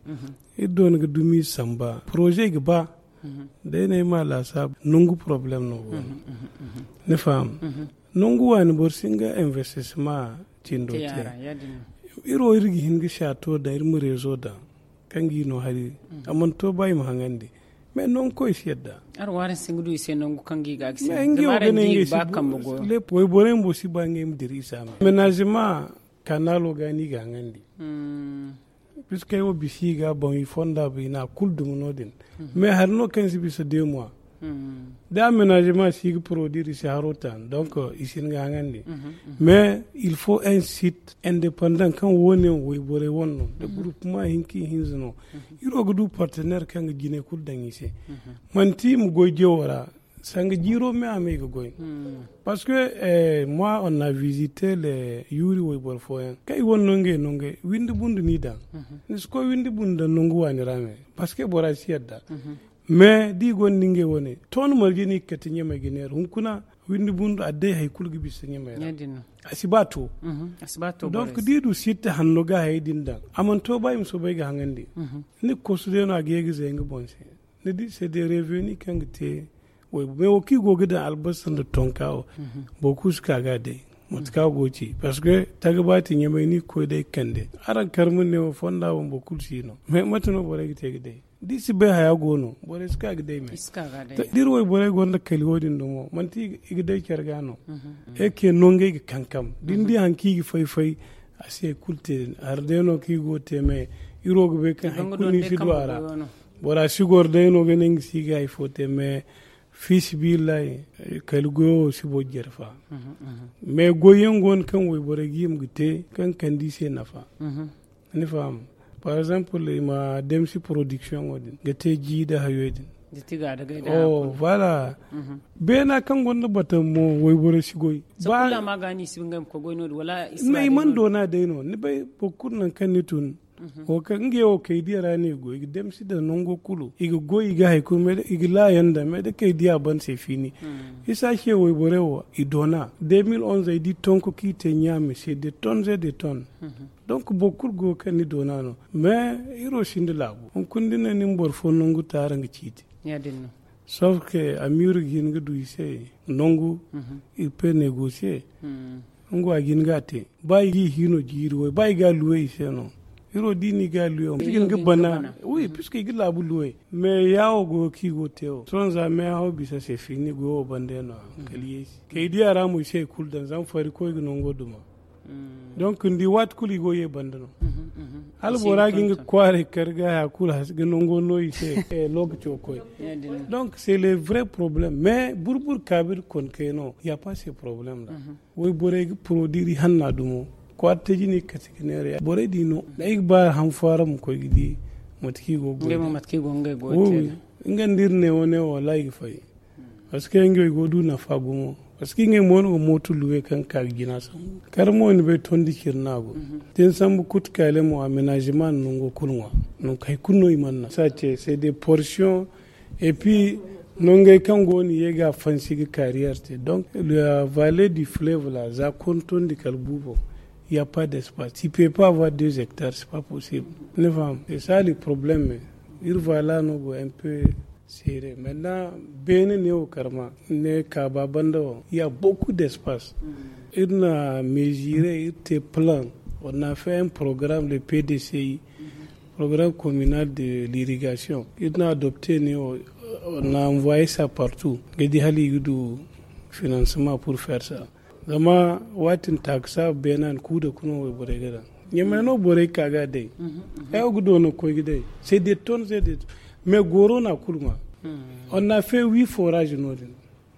Iri doona ga dumi samba poroze ga ba. Day no ay ma laasaabu nangu poroblem no go no. Ni faham? Nangu waani boro si hin ga investissement cindo te. Iri wo iri ga hin ga saato daŋ iri ma rezo daŋ kaŋ ga i no hari. A mana to ba i ma haŋandi. Mais nangu koy si yadda. Araŋ waaraŋ si hin ga du i se nangu kaŋ ga i ga a ga se zama araŋ di i ga ba kambe goyo. Wayborey bumbo si ba ngey ma dira i se a me menazima kanalo ga no i ga haŋandi. Puisque ay wo bisa i ga boŋ i fonda bay no a kulu duma no- din. Mais hari no kaŋ si bisa deux mois. Da aménagement si ga produire i si haro tan donc i si hin ga haŋandi. Mais il faut un site indépendant kaŋ wo- ne wayborey wane no da groupement hinka i hinza no. Iri wo ga du partenaire kaŋ ga jine kulu daŋ i se. Manti i ma goy jewo ra. Sanga jiiro me a me i ga goy. Parce que moi on a visité le yuuri wayboro fooyaŋ kaŋ i wane no ngey no ngey windi bundu n'i daŋ. Ni si koy windi bundu daŋ nangu waani ra me. Parce que bora si yadda. Mais da i gonda ngey wane ton marje no i ga kate ɲamey ga neera hunkuna windi bundu a day hari kulu ga bisa ɲamey ra. A si ba to. Donc da i du sitta hanno ga hayey din daŋ a mana to ba i ma soobay ga haŋandi. Ni ga kosu day no a ga ye ga zay nga boŋ se. Ni di se day reveni kaŋ ga te way mais wo kaŋ i go ga daŋ albasa nda tonka wo. Boro kulu si ka ga day mate kaŋ a go ga ci parce que taga ba ti ɲamey ni ga koy day ga kande. Araŋ karma ne wo fonda wo boro kulu si no mais mate no borey ga te ga day da i si bay haya go no borey si ka ga day me. Da iri wayborey gonda kali wo- din dumo manti i ga day care ga no. Eke no ngey ga kankam da ni di hari kaŋ i ga fay-fay. A si hari kulu te hari day no kaŋ i go ga te me. Iri wo ga bay kaŋ hari kulu no i si du a ra. Bora si goro day no ga ne nga si ga hari fo te me. Fi sabillahi kala goyo wo si boro jare fa. Mais goyyaŋ go no kaŋ wayborey ga hima ga te kaŋ ga kande i se nafa. Ni faham? Par exemple i ma demsi production wo- din ga te ji nda hayo din. Voilà. Beena kaŋ gonda batama mo wayborey si goy. I mana doona day no ni bay boro kulu nangu kaŋ ni tun. Wo kaŋ ngey wo kay diya ra no i ga goy i ga damsi daŋ nango kulu i ga goy i ga hari kulu i ga laayaŋ daŋ mais da kay diya ban se fiini. Isa ce wayborey wo i doona deux mille onze ay di tonko kaŋ i te ɲaame se de tonnes et de tonnes. Donc boro kulu go ga kande ni doona no mais iri wo sinda laabu hunkuna da ni ne ni ma boro fo nangu taara nga ciiti. Sauf que amiiru ga hin ga du i se nangu. Iri pe negosiye. Nga wo a ga hin ga a te ba i ga i hiino jiiri way ba i ga a luwe i se no. Iri wo da i na i ga a luwe wo i ga hin ga bana. Wi puisque i ga laabu luwe mais yaawo go ga kaŋ i go ga te wo sohõ za meehaw bisa se fiini goyo wo banda yaŋ no a kala yeesi kay di a ra mo i si hari kulu daŋ zama fari koy ga nango duma. Donc ni di waati kulu i go ye banda no. Hala bora ga nga kwaaray kar ga haya kulu hasi ga nango no i se. Lokaco koy. Donc c'est le vrai problème mais buru-buru kaabir konkey no ya pas ce problème ra. Wayborey ga produire hanna dumo kwaara taji no i ga kate ga neera borey di no da ay ga ba han fo araŋ ma koy ga di. Mate kaŋ i go ga goy da nga nda iri ne wane wo wallahi i ga fay. Parce que ngey go du nafa gumo parce que ngey mo no ga mooto luwe kaŋ ga ka ga jina sambu kar mo ni bay tondi ciri no a go. Da ni sambu kutu kaale mo aménagement no nango kulu ŋwa. Nangu hay kulu no i mana naŋ sace c'est des portions. Et puis nongey kaŋ go no i ye ga a fansi ga carrière te donc la vallée du fleuve la za kontondi kala buubo. Il y a pas d'espace tu peux pas avoir deux hectares c'est pas possible. Ni faham c'est ça le problème. Iri vallée no go un peu serré maintenant beene ne wo karma ne kaaba banda wo il y a beaucoup d'espace. Iri na mesurer iri te plan on a fait un programme le pdci programme communal de l'irrigation iri na adopter ne wo on a envoyer ça partout ga di hala i ga du financement pour faire ça. Zama waati din taakasa beena ni kuu da kuna wayborey ga daŋ ɲamay no borey ka ga day. Ay wo ga doona koy ga day c'est des tonnes c'est des mais goro na kulu ŋwa. On a fait huit forage no din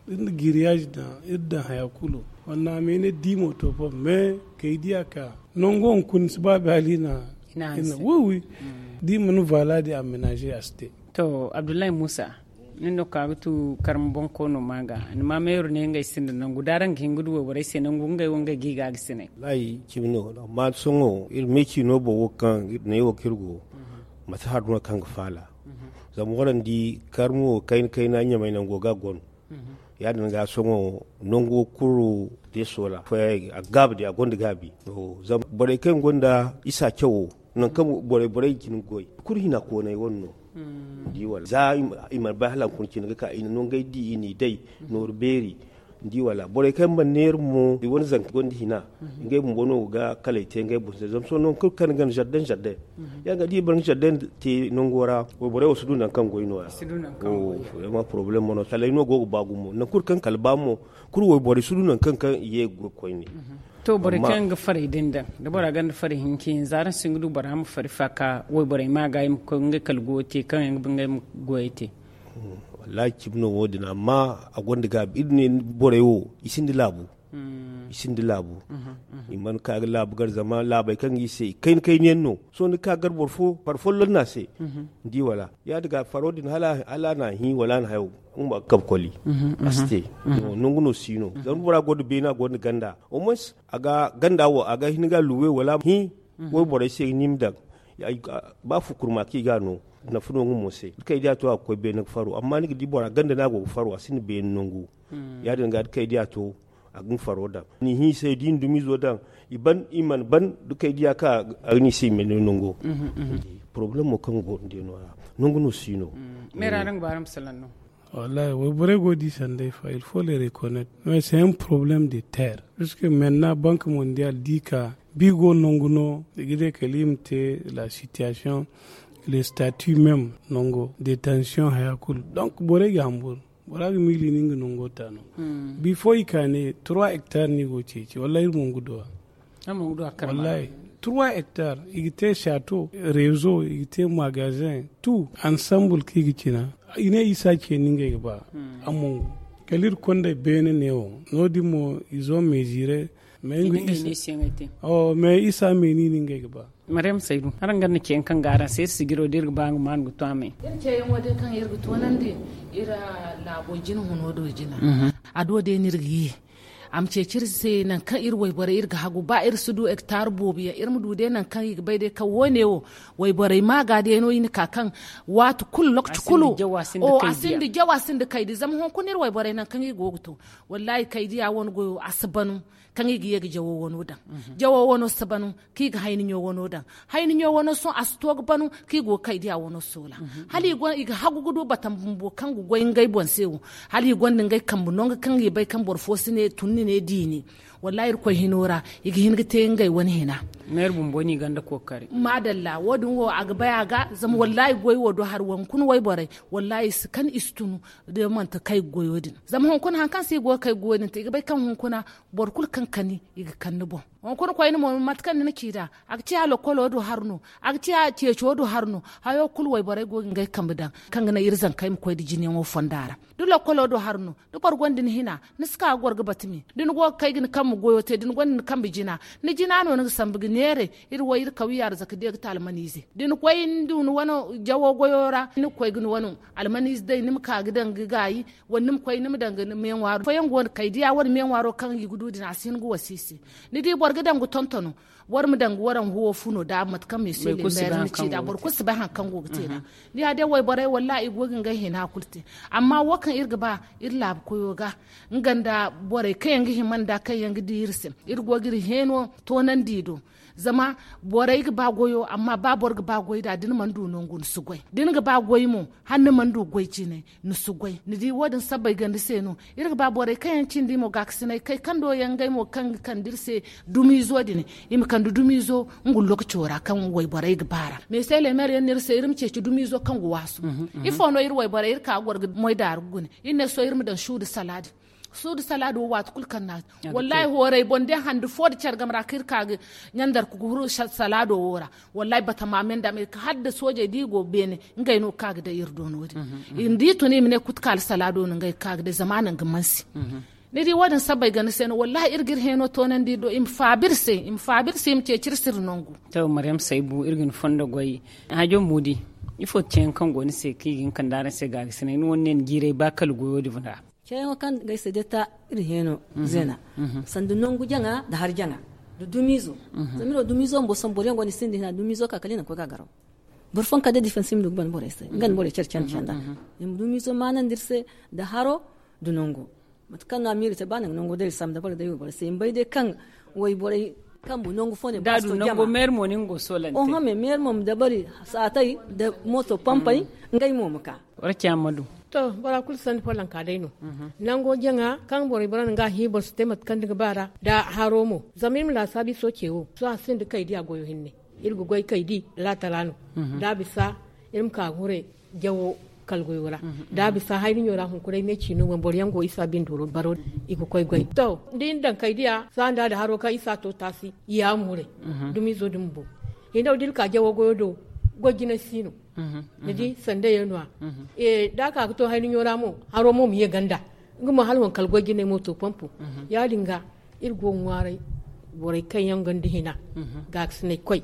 iri na giriyaazi daŋ iri daŋ haya kulu. On a meene dimo to fo mais kay di a ka nango hunkuna si ba baali na. Wi wi di mana vaala di aménage a si te. To abdullahi musa nin no ka ga tu karma bonkoono ma ga ni ma meeru ne ngey sinda nangu da araŋ ga hin ga du wayborey se nangu ngey wo ngey ga i ga ga sinay. Layi cimi no amma sohõ iri meeci no boŋ wo kaŋ iri ne wo kaŋ iri go mate har no kaŋ ga faala. Zama waraŋ di karma wo kayna kayna ɲamay nango ga gono. Ya- din ga sohõ nango kulu de sola foyey a ga gaabi de a gonda gaabi. Zama borey kaŋ gonda isa cawo nangu kaŋ borey borey ga cin ga goy kulu hina koonay wane no. Ni di wala za i mana bay hala hunkuna cine ga ka i na no ngey di i n'i day nooru beeri. Ni di wala borey kaŋ mana neera mo i wane zanka gonda hina ngey bumbo no ga kalay te ngey boŋ se zama sohõ nangu kulu kaŋ ni gana jardin jardin. Ya ga di i boro nga jardin te nango ra wayborey wo si du nangu kaŋ goy no- ya. Vraiment problème mo no kalay no go ga ba gumo nangu kulu kaŋ kala ba mo kulu wayborey si du nangu kaŋ kaŋ i ye ga goy koyne. To borey kaŋ ga faray din daŋ da bora gonda faray hinka hinza araŋ si hin ga du bora ma fari fa ka wayborey ma ga i ma koy ngey kala goyo te kaŋ yaŋ ga ba ngey ma goyey te. Wallahi cimi no wo- din amma a gonda gaabi iri ne borey wo i sinda laabu. i sinda laabu. I mana ka ga laabu gar zama laabey kaŋ ga i se i kayna kayna yaŋ no. Sohõ ni ka gar boro fo far folloŋ no a se. Ni di wala ya- din ga faro din hala a na hi wala a na hayo nga ma ga kabe koli. A si te. Nangu no si no zama bora gonda beena gonda ganda au moins a ga ganda wo a ga hin ga luwe wala hi. Wayborey se ni ma daŋ ba fukurma kaŋ i ga a no. Nafa no nga mo se da kay diya to a ga koy beene ga faro amma ni ga di bora ganda no a go ga faro a sinda beene nangu. Ya- din ga da kay diya to a ga nga faro daŋ ni hiisay da i na dumizo daŋ. I ban i mana ban da kay diya ka a ga ni se i ma ne nango. Porobalemo kaŋ go nda no ra nangu no si no. Meera no ga ba araŋ ma salaŋ no. Wallahi wayborey go di sanday fa il faut les reconnaître mais c'est un problème de terre puisque maintenant banque mondiale di ka bi go nangu no i ga de kala i ma te la situation les statuts même nango détention haya kulu donc borey ga hamburu. Bora ga miili ni nga nango ta no. Bifo i ka ne trois hectares no i go ceeci wallahi iri mo ga duwa. Wallahi trois hectares i ga te château, réseau i ga te magasin, tout ensemble kaŋ i ga cina. I ne isa ce ni ngey ga ba. Amma kala iri konday beene ne wo no- din mo izo meziire. Mais isa me ni ni ngey ga ba. Maryam saydu araŋ ga ni ce kaŋ ga araŋ se iri sijiro da iri ga ba nga ma ni ga to a me. Iri ce yaŋo day kaŋ iri ga toonandi iri laabo jina huno do jina. A do day no iri ga ye. A ma ceeci iri se nangu kaŋ iri wayborey iri ga hagu ba iri si du hectare boobo yaŋ iri ma du day nangu kaŋ i ga bay day kaŋ wo- ne wo wayborey ma ga day no i na ka kaŋ waati kulu lokaci kulu. A sinda jaw a sinda kaydi zama hunkuna iri wayborey nangu kaŋ i go ga to. Wallahi kaydiya wane goyo a si banu. Kaŋ i ga ye ga jawo wano daŋ jawo wano si banu kaŋ i ga hayni ɲo wano daŋ. Hayni ɲo wano sohõ a si to ga banu kaŋ i go ga kay diya wano soola. Hala i ga hagu ga du batam bumbo kaŋ ga goy ngey boŋ se wo. Hala i gonda ngey kambe no nga kaŋ i bay kaŋ boro fo si ne tun ni ne diini. Wallahi irkoy hino ra i ga hin ga te ngey wane hina. Meeri bumbo no i gonda kookari. Maadalla wo- din wo a ga bay a ga zama wallahi goy wo do hari wankuna wayborey. Wallahi i si kan i si tunu da manti kay goyo din zama hunkuna hari kaŋ se i go ga kay goyo din te i ga bay kaŋ hunkuna boro kulu kaŋ kani i ga kani ni boŋ. Hunkuna koyne mo mate kaŋ ni na ci nd'a a ga ciya lokkolo do hari no. A ga ciya ceeco do hari no. Hayo kulu wayborey go ga ngey kambe daŋ kaŋ ga naŋ iri zankey ma koy nda jinayaŋo fonda ra. Da lokkolo do hari no da boro gonda ni hina ni si ka ga goro ga bati me da ni go ga kay ga ni kambe goyo te da ni gonda ni kambe jina. Ni jina no ni ga sambu ga neeray. Iri wo iri kawiya arzaka day ga te almaniize da ni koy ni du ni wane jawo goyo ra ni ga koy ga ni wane almaniize day ni ma ka ga daŋ ga gaayi. Wala ni ma koy ni ma daŋ ga ni meeŋwaaro fooyaŋ go no kay diya wane meeŋwaaro kaŋ i ga du din a si hin ga wasa i se. Ni di boro ga daŋ ga tontono. War ma daŋ ga waraŋ huwo fu no da mate kaŋ meesu i limbeeri ni ci nd'a boro kulu si bay hari kaŋ go ga te nd'a. Ni ya day wayborey wallahi i go ga ngey hina kulu te. Amma wo kaŋ iri ga ba iri laabu koyo ga nga nda borey kaŋ yaŋ ga hima nd'a kaŋ yaŋ ga di iri se. Iri go ga iri heeno toonandi i do. Zama borey ga ba goyo amma ba boro ga ba goy nd'a da ni mana du nangu ni si goy da ni ga ba goy mo hala ni mana du goy cine. Ni si goy ni di wo- din sabbay ganda se no. Iri ga ba borey kaŋ yaŋ cindi mo gaakasinay kay kando yaŋ ngey mo kaŋ ga kande iri se dumiizo din. I ma kande dumiizo nga lokaco ra kaŋ wayborey ga ba ra. Mais se leemer yaŋ no iri se iri ma ceeci dumiizo kaŋ ga waasu. Ifo no iri wayborey iri ka ga goro ga moydaaru ga gune iri ne sohõ iri ma daŋ suudu salaadi. Suudu salaado waati kulu kaŋ na a te wallahi hooray boŋ day hande fo nda care game ra kaŋ iri ka ga ɲandarku ga huru salaado wo ra. Wallahi batama me nda me ka hala nda soojey da i go beene. Ngey no ga ka ga day iri do no- din. Iri di tun i ma ne kutukaali salaado no ngey ga ka ga day zama a naŋ ga mansi. Ni di wo- din sabbay ganda se no wallahi iri ga iri heeno toonandi iri do i ma faabi iri se i ma faabi iri se i ma ceeci iri se iri nangu. To maryam saybu iri ga ni fondo goy. Hajo muudi ifo ceeyaŋ kaŋ go ni se kaŋ i ga hin kande araŋ se gaagasinay ni wane ne ni jiiray ba kala goyo din ra. Ceeyaŋo kaŋ ga ay se day ta iri heeno zeena. Sanda nangu jaŋa nda hari jaŋa nda dumiizo. Zama iri wo dumiizo bumbo sohõ boro yaŋ go no i sinda hina dumiizo ka kala i na koy ga a garaw. Boro fooyaŋ ka day defense i ma du ga ban borey se nga nda borey care care care nda i ma dumiizo maanandi iri se. Nda haro nda nango mate kaŋ no a miiri te ba nangu nango day iri sambu dabari day wayborey se i ma bay day kaŋ wayborey kambu nangu fo ne ba a si to jama. Oho me meeri mo ma dabari saatey nda mooto pampey. Ngey mo ma ka. Wara ci a ma du. To bora kulu sanni follanka day no. Nango jaŋa kaŋ borey bora no ga a hii boro si te mate kaŋ ni ga ba ra nda haro mo. Zama iri ma laasaabu iso ce wo sohõ a sinda kay di a goyo hinne. Iri ga goy kay di laatala no. Da a bisa iri ma ka ga hure jawo kala goyo ra. Da a bisa hayni ɲo ra hunkuray me ciino boŋ boro yaŋ go isa bindo baro i ga koy goy to da iri na daŋ kay diya saanda da haro kaŋ isa to taasi. Yaamu hure dumiizo din bumbo. Hinne wo da iri ka jawo goyo do goy jinay si no. Ni di sanda yaŋ no- ya da a ka ga to hayni ɲo ra mo haro mo ma ye ganda. Nga mo hala waŋ kala goy jinay mo to pompo. Ya- din ga Iri go ga ŋwaaray borey kaŋ yaŋ gonda hina, gaakasinay koy,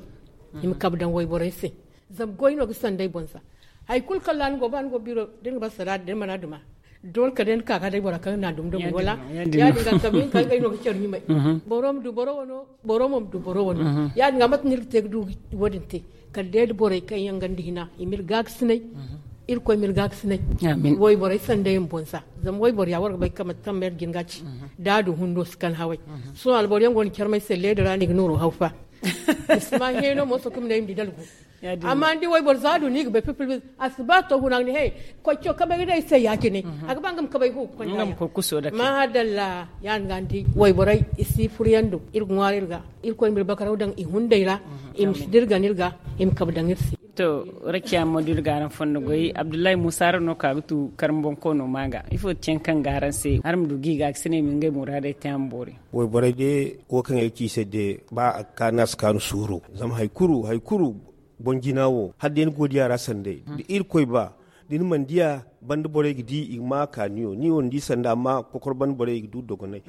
i ma kabe daŋ wayborey se. Zama goy no ga sanday boŋ za. Hari kulu kaŋ ra ni go, ba ni go biro, da ni ga ba sara, da ni mana duma, doole kala day ni ka ga day bora kaŋ na dum dum. Wala ya- din ga kabe nin kaŋ gay no ga care ɲumay. Boro ma du boro wano, boro mo ma du boro wano. Ya- din ga mate no iri ga te ga du wo- din te, kala day da borey kaŋ yaŋ gonda hina, i ma iri gaakasinay. Irkoy ma iri gaakasinay. Wayborey sanday ma boŋ za. Zama wayboro ya war ga bay kaŋ mate kaŋ mayra jin ga ci, da a du hundo si kan haway. Sohõ alboro yaŋ go no care may se leeda ra no i ga nooro haw fa. I si ma heeno mo sohõ kaŋ ma ne i ma di dalgu. Amma ni di wayboro za a du no i ga bay pilpil. A si ba to huna ga ne he, koy co kabay ga day se ya- cine. A ga ba nga ma kabay hu ga konda ya. Madalla. Ya- din ga ni di wayborey i si furo yaŋ do iri ga ŋwaari iri ga. Irkoy ma iri bakaraw daŋ i hunday ra. I ma si dirgan iri ga, i ma kabe daŋ iri se. To, rakiya ma du iri ga araŋ fondo goy. Abdullahi Musa, araŋ no ka ga tu karma boŋ koono ma ga ifo ti yaŋ kaŋ ga araŋ se, araŋ ma du ga i ga ga si ne i ma ngey muraadey te a ma boori. Wayborey de, wo kaŋ ay ga ci i se de, ba a ga kaanu a si kaanu suuru. Zama hari kulu hari kulu, boŋ jina wo hala day ni go ga di a ra sanday da irkoy ba, da ni mana di a, banda borey ga di i ga ma a ka ni wo ni wo ni di sanda amma kokoro banda borey i ga du dogonay.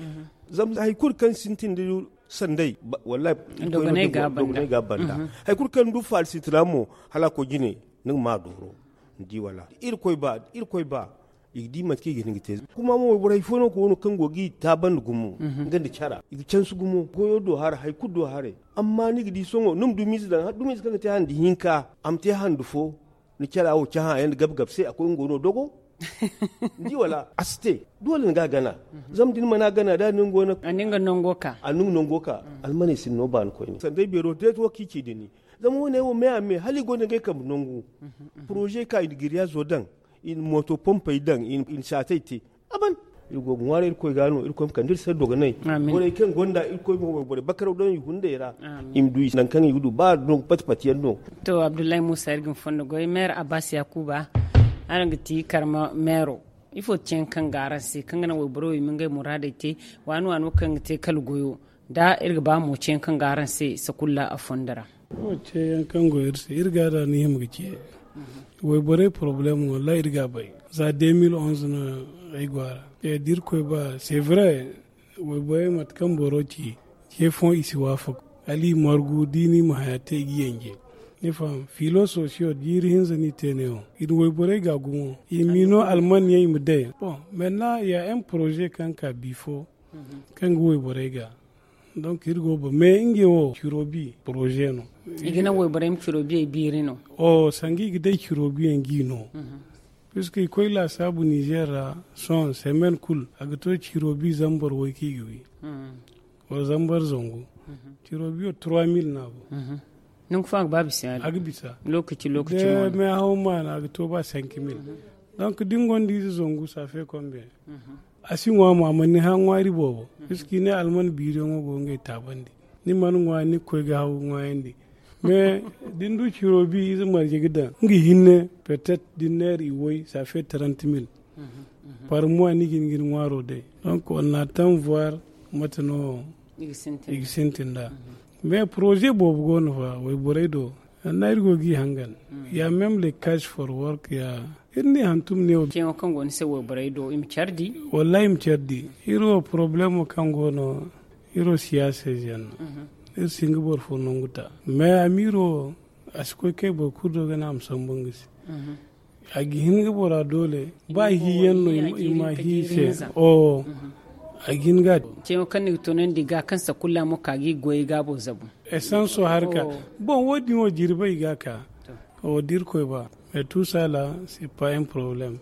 Zama hari kulu kaŋ sintin da sanday, wallahi dogonay ga a banda. Hari kulu kaŋ ni du faali sintina mo, hala a koy jine, ni ga ma a dooro. Ni di wala da irkoy ba da irkoy ba, i ga di mate kaŋ i ga hin ga te. Kuma mo wayboro hari fo no go no kaŋ go ga i taabandi gumo, nga nda cara i ga cansi gumo goyo do haray hari kulu do haray. Amma ni ga di sohõ ni ma dumiize daŋ dumiize kaŋ ga te handi hinka, a ma te handi fo. Ni cara wo cahã yaŋ nda gabe gabe se a koy nga go no dogo. Ni di wala a si te. Doole ni ga a gana. Zama da ni mana a gana da ni nga go no a na nga nango ka. Almaney sinda no baani koyne sanday beero deet wo kaŋ i ci da ni. Zama wo- ne wo me a me hala i go no ngey kambe nangu. Poroze ka i na giriyaazo daŋ, i na mooto pompey daŋ, i na saatey te. A ban. Iri go ga ŋwaaray irkoy ga no irkoy ma kande iri se dogonay. Borey kaŋ gonda irkoy ma borey bakaraw daŋ i hunday ra. I ma du nangu kaŋ i ga du ba no pati pati yaŋ no. To abdullahi muusa iri ga ni fondo goy meer abbas yaakuba, araŋ ga ti karma meero. Ifo ti yaŋ kaŋ ga araŋ se kaŋ ga naŋ wayboro wo i ma ngey muraadey te? Waani waano kaŋ ga te kala goyo da iri ga ba mo ceeyaŋ kaŋ go araŋ se sakulla a fondo ra. Wo ceeyaŋ kaŋ go iri se iri ga da ni hima ga ce. Wayborey poroblem wallahi iri ga a bay. Za deux mille onze no ay go a ra. Da irkoy ba c'est vrai. Wayborey mate kaŋ boro ci ce fooyaŋ i si waafaku. Hala i margu da i ni ma haya te i ga yanje. Ni faham filososiyo jiiri hinza no i te neewo. I na wayborey ga gumo i ma i no alman yaŋ i ma day. Bon maintenant ya un projet kaŋ ka bifo kaŋ ga wayborey ga. Donc iri go ba mais ngey wo ciro bi projet no. I ga naŋ wayborey ma ciro biyey biiri no. O sangu i ga day ciro biyaŋ ga i no. Puisque i koy laasaabu nizer ra sohõ semaine kulu a ga to ciro bi zambar way kaŋ i ga wi. Wala zambar zangu. Ciro biyo trois mille no a go. Nangu fo a ga ba bisa yaadin a ga bisa. Lokaci lokaci mo no mais haw maana a ga to ba cinq mille. Donc da ni gonda ize zangu ça fait combien? A si ŋwa mo a mana ni hã ŋwaari boobo. Puisque i ne alman biiriyaŋo go ngey taabandi. Ni mana ŋwa ni ga koy ga haw ŋwaayandi. Mais da ni du ciro bi ize marje ga daŋ nga hinne peut-être da ni neera i way ça fait trente mille. Par mois ni ga hin ga ni ŋwaaro day. Donc on attend voir mate no i ga sintin nd'a. Mais projet boobo go no fa wayborey do. Anna iri go ga i hangan. Ya même les cash for work ya iri ne hantum ne wo. Ceeyaŋo kaŋ go ni se wayborey do i ma care di. Wallahi i ma care di. Iri wo problemo kaŋ go no iri wo siyaasa ize yaŋ no. Iri si hin ga boro fo nangu ta mais a ma iri wo a si koy kay boro kulu do ga ne a ma sambu nga se. A ga hin ga bora doole ba hiyaŋ no i ma hi se. O a ga hin ga. Ceeyaŋo kaŋ ni ga toonandi ga kaŋ sakulla mo ka ga i goyey gaabo zabu. Esanso harka. Bon wo- din wo jirbey ga ka. O da irkoy ba mais tout ça là c'est pas un problème.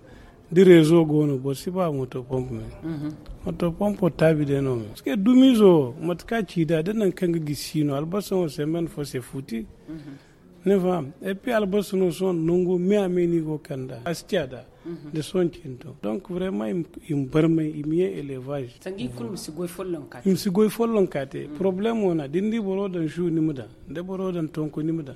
Da rezo go no boro si ba moto pompe me. Moto pompo taabi day no me parce que dumiizo wo mate kaŋ a ci da da nangu kaŋ ga gisi si no albasa wo semaine fo c'est foutu. Ni faham et puis albasa no sohõ nango me a me no i go ga kand'a a si ci a da. Da sohõ cinto donc vraiment i ma barmay i ma ye élevage. Sanga i kulu ma si goy follonka te i ma si goy follonka te problème wo no a da ni di boro daŋ su ni ma daŋ da boro daŋ tonko ni ma daŋ.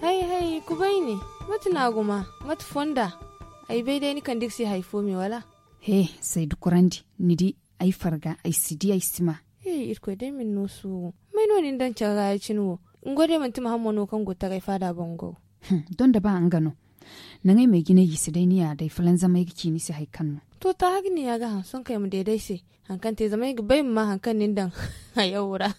Hay hay kubayni. Mate no a guma? Mate fonda? Ay bay day ni kande iri se hari fo me wala? He, saydu kurandi. Ni di, ay farga, ay si di ay si ma. He, irkoy day ma ni no suuru. May no ni na daŋ care ra ya- cine wo? Ni goy day manti muhamma no kaŋ go taray faada boŋ go? Donda ba nga no. Naŋ ay ma ay jinay i se day ni ya day fulanzam ay ga ci ni se hari kaŋ no. To ta hari ni ya ga haŋ sohõ kaŋ ay ma deede ay se. Hari kaŋ te zama ay ga bay ma ma hari kaŋ ni na daŋ hayawo ra.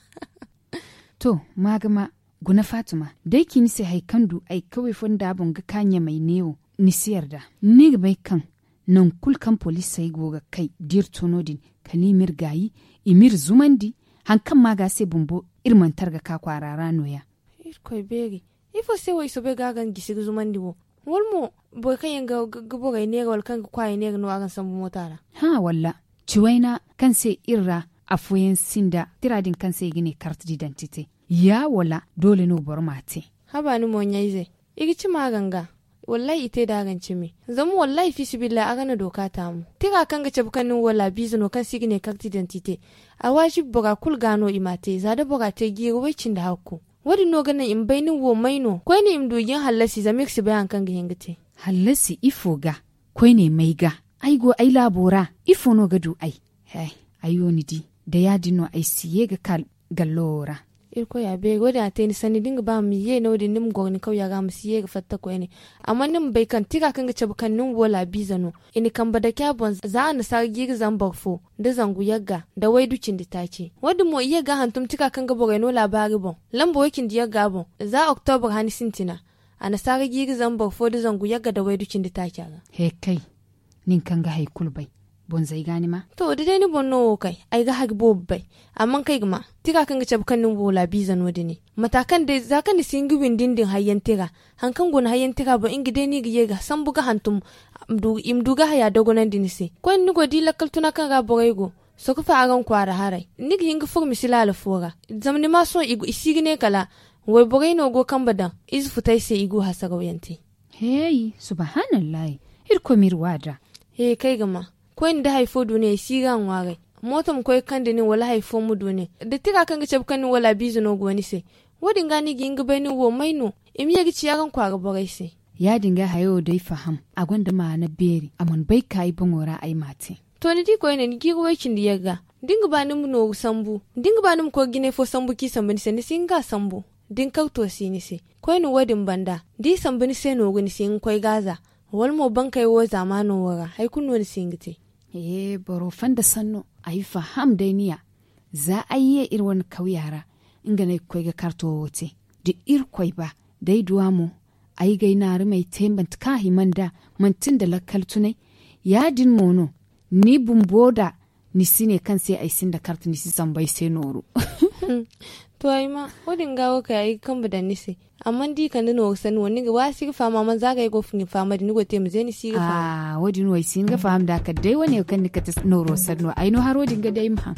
To, ma ga ma. Guna faatuma, da ay ci ni se hari kaŋ du ay kawey fonda boŋ ga ka ɲamay neewo, ni si yarda. Ni ga bay kaŋ nangu kulu kaŋ poliisey go ga kay da iri to no- din, kala i m'iri gaayi, i m'iri zumandi. Hari kaŋ ma ga se bumbo, iri mana tara ga ka kwaara ra no- ya. Irkoy beeri. Ifo se wo i soobay ga a ga ni gisi ga zumandi wo? Wala mo, boro kaŋ yaŋ ga borey neera wala kaŋ ga kwaarey neera no a ga ni sambu moota ra? Hã walla, ciwayna kaŋ se iri ra afooyaŋ sinda tira din kaŋ se i ga ne kart didantite. Ya wala doole no boro m'a te? Haba ni mo ɲayze, i ga cima araŋ ga. Wallahi i te da araŋ cimi. Zama wallahi fiisabilillahi araŋ na dooka taamu. Tira kaŋ ga cabe kaŋ nin wo laabiize no kaŋ se i ga ne kart didantite, a waajibi bora kulu ga no i m'a te za da bora te jiiri way cindi hakku. Wo- din no ga naŋ i ma bay nin wo may no koyne i ma du i ga ni hallasi zama iri si bay hari kaŋ ga hin ga te. Hallasi ifo ga? Koyne may ga? Ay go ay laabo ra. Ifo no ga du ay? He, ay wo ni di, da ya- din no ay si ye ga ka gallo wo ra. Irkoy a beeri wo- din a te ni sanni da ni ga ba ma ye no- din ni ma goro ni kawya ga ma si ye ga fatta koyne. Amma ni ma bay kaŋ tira kaŋ ga cabe kaŋ nin wo laabiize no, i na kambe dake a boŋ za annasaara jiiri zambar fo, da zangu yagga da waydu cindi taaci. Wo- din mo i ye ga a hantum tira kaŋ ga borey no laabaari boŋ, lamba way cindi yagga boŋ za oktobur hani sintina. Annasaara jiiri zambar fo da zangu yagga da waydu cindi taaci a ga. He kay, nin kaŋ ga hari kulu bay, bonzey ga ni ma. To da day ni boŋ no wo kay, ay ga hari boobo bay. Amma kaŋ ay ga ma, tira kaŋ ga cabe kaŋ nin wo laabiize no- din. Mata kaŋ day za kaŋ ni si hin ga windi ni din hayyaŋ tira, hari kaŋ go ni hayyaŋ tira boŋ nga day no i ga ye ga sambu ga hantum, i ma du ga haya dogonandi ni se. Koyne ni go di lakkal tuna kaŋ ra borey go, sokofa araŋ kwaara haray ni ga hin ga furo misi laala fo ra. Zama ni ma sohõ i si ga ne kala wayborey no go kambe daŋ ize futay se i go hasarawyaŋ te. Heey, subahanallahi. Irkoy m'iri waada. He kaŋ ay ga ma, koyne da hari fo du ne ay si ga a ŋwaaray. Mooto ma koy ga kande nin wala hari fo ma du ne da tira kaŋ ga cabe kaŋ nin wala a biize no go ni se. Wo- din ga no i ga hin ga bay nin wo may no i ma ye ga ci araŋ kwaara borey se. Ya- din ga hayo wo day faham, a gonda maana beeri, a mana bay ka ay boŋo ra ay m'a te. To ni di koyne ni jiiri way cindi yagga, da ni ga ba ni ma nooru sambu, da ni ga ba ni ma koy ga jinay fo sambu kaŋ i sambu ni se ni si hin ga a sambu. Da ni karto si ni se, koyne wo- din banda da i sambu ni se nooru ni si hin ga koy ga a za, wala mo bankey wo zaamaano wo ra hari kulu no ni si hin ga te. Ee boro fonda sanno, ay faham day ni ya. Za ay ye iri wane kawya ra, nga no ay ga koy ga karto wo te. Da irkoy ba, da ay du a mo, ay ga ay naarumey te manti kaŋ a hima nd'a, manti nda lakkal tunay. Ya- din mo no, ni bumbo da ni si ne kaŋ se ay sinda kart ni si sambu ay se nooru. To ay ma, wo- din ga wo kay ay ga kambe daŋ ni se. Amma da i kande nooru sanni wo ni ga waasi ga faham amma za ga ay go ga faham da ni go ga te ma ze ni si ga faham. Wo- din wo ay si hin ga faham nd'a kala day wane kaŋ ni kate nooro sanno ay no haro din ga day ma haŋ.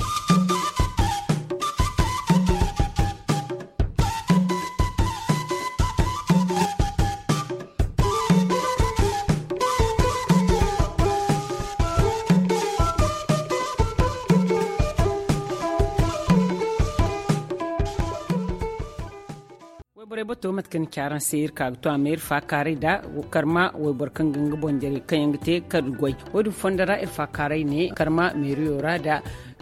Bato mate kaŋ ni ci araŋ se iri ka ga to a ma iri faakaaray da karma wayboro kaŋ ga nga boŋ jarey kaŋ yaŋ ga te kala goy. Wo- din fondo ra iri faakaaray ne karma meeriyo ra da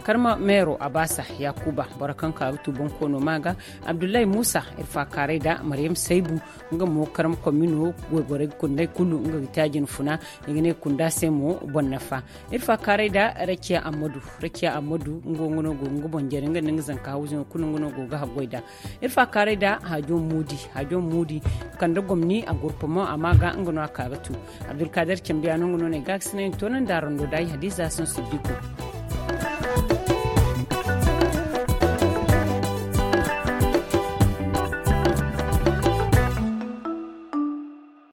karma meero abaasa, yaakuba boro kaŋ ka ga tu boŋ koono ma ga, abdullahi muusa, iri faakaaray da maryam saybu, nga mo karma komino. Wayborey ga kundey kulu nga ga te a jina funa. I ga ne kunda se mo boŋ nafa. Iri faakaaray da rakiya ammadu. Rakiya ammadu nga wo nga no go ga nga boŋ jare nga nda nga zanka hawzu yaŋ kulu nga no go ga haggoy da. Iri faakaaray da haajo muudi. Haajo muudi kande gomni a gurpamo a ma ga nga no a ka ga tu. Abdulkader cambiya no nga no ne ga ga sinay ni toonandi a rondo da ay hadiza soŋ siddiku.